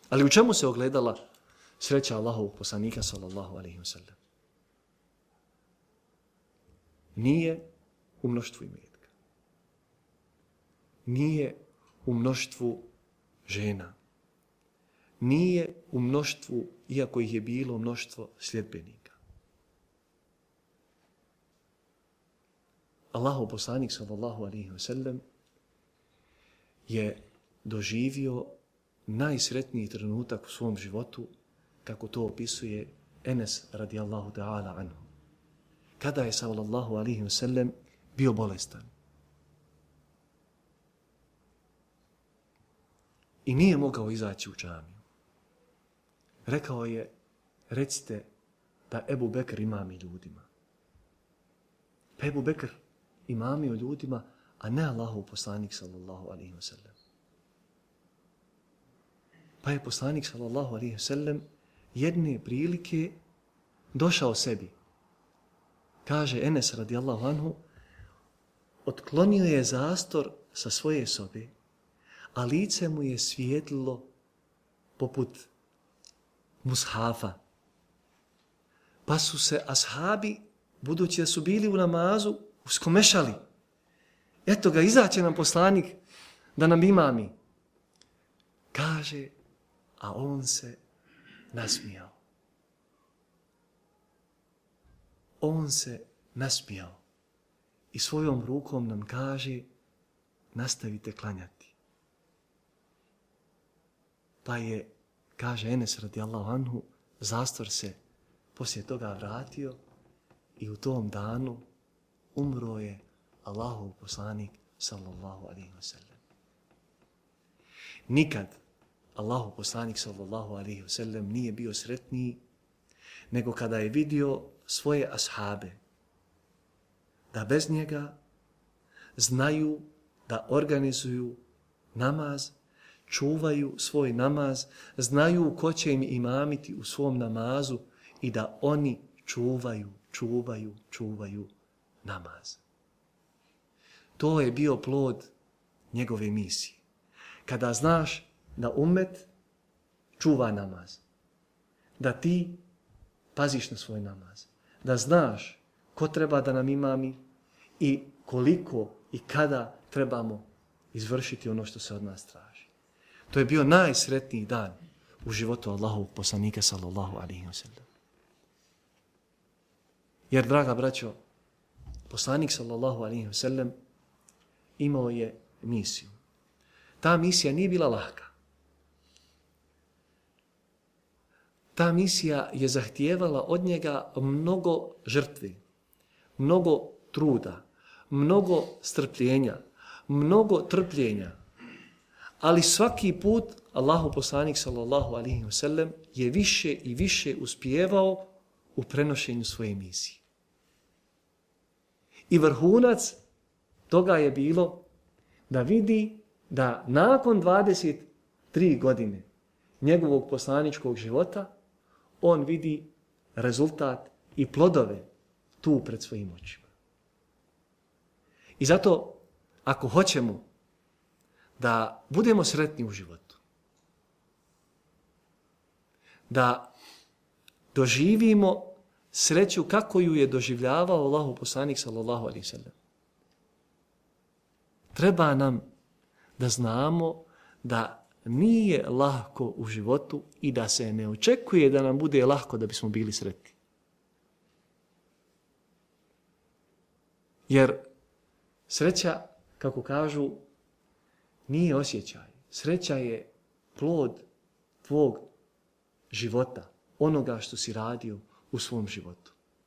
Ali u čemu se ogledala sreća Allahovog poslanika sallallahu alejhi ve sellem? Nije u mnoštvu imetka. Nije u mnoštvu žena. Nije u mnoštvu, iako ih je bilo mnoštvo sljedbenika. Allahov poslanik sallallahu alejhi ve sellem je doživio najsretniji trenutak u svom životu, kako to opisuje Enes radijallahu ta'ala anhu. Kada je sallallahu alejhi ve sellem bio bolestan. I nije mogao izaći u džamiju. Rekao je, recite da Ebu Bekr imami ljudima. Pa Ebu Bekr imamio ljudima, a ne Allahov poslanik sallallahu alejhi ve sellem. Pa je poslanik sallallahu alejhi ve sellem jedne prilike došao sebi. Kaže Enes radijallahu anhu, otklonio je zastor sa svoje sobe, a lice mu je svijetlilo poput mushafa. Pa su se ashabi, budući da su bili u namazu, uskomešali. Eto ga, izaće nam poslanik da nam imami. Kaže, a on se nasmijao. On se nasmijao i svojom rukom nam kaže, nastavite klanjati. Pa je, kaže Enes radijallahu anhu, zastor se poslije toga vratio i u tom danu umro je Allahov poslanik sallallahu alejhi ve sellem. Nikad Allahov poslanik sallallahu alejhi ve sellem nije bio sretniji nego kada je vidio svoje ashabe da bez njega znaju da organizuju namaz, čuvaju svoj namaz, znaju ko će im imamiti u svom namazu i da oni čuvaju namaz. To je bio plod njegove misije. Kada znaš da ummet čuva namaz, da ti paziš na svoj namaz, da znaš ko treba da nam imami i koliko i kada trebamo izvršiti ono što se od nas traži. To je bio najsretniji dan u životu Allahovog poslanika sallallahu alejhi ve sellem. Jer, draga braćo, poslanik sallallahu alejhi ve sellem imao je misiju. Ta misija nije bila lahka. Ta misija je zahtijevala od njega mnogo žrtvi, mnogo truda, mnogo strpljenja, mnogo trpljenja. Ali svaki put Allahov poslanik sallallahu alejhi ve sellem je više i više uspijevao u prenošenju svoje misije. I vrhunac toga je bilo da vidi da nakon 23 godine njegovog poslaničkog života on vidi rezultat i plodove tu pred svojim očima. I zato, ako hoćemo da budemo sretni u životu, da doživimo sreću kako ju je doživljavao Allahov poslanik sallallahu alejhi ve sellem, treba nam da znamo da nije lahko u životu i da se ne očekuje da nam bude lahko da bismo bili sretni. Jer sreća, kako kažu, nije osjećaj. Sreća je plod tvog života, onoga što si radio u svom životu.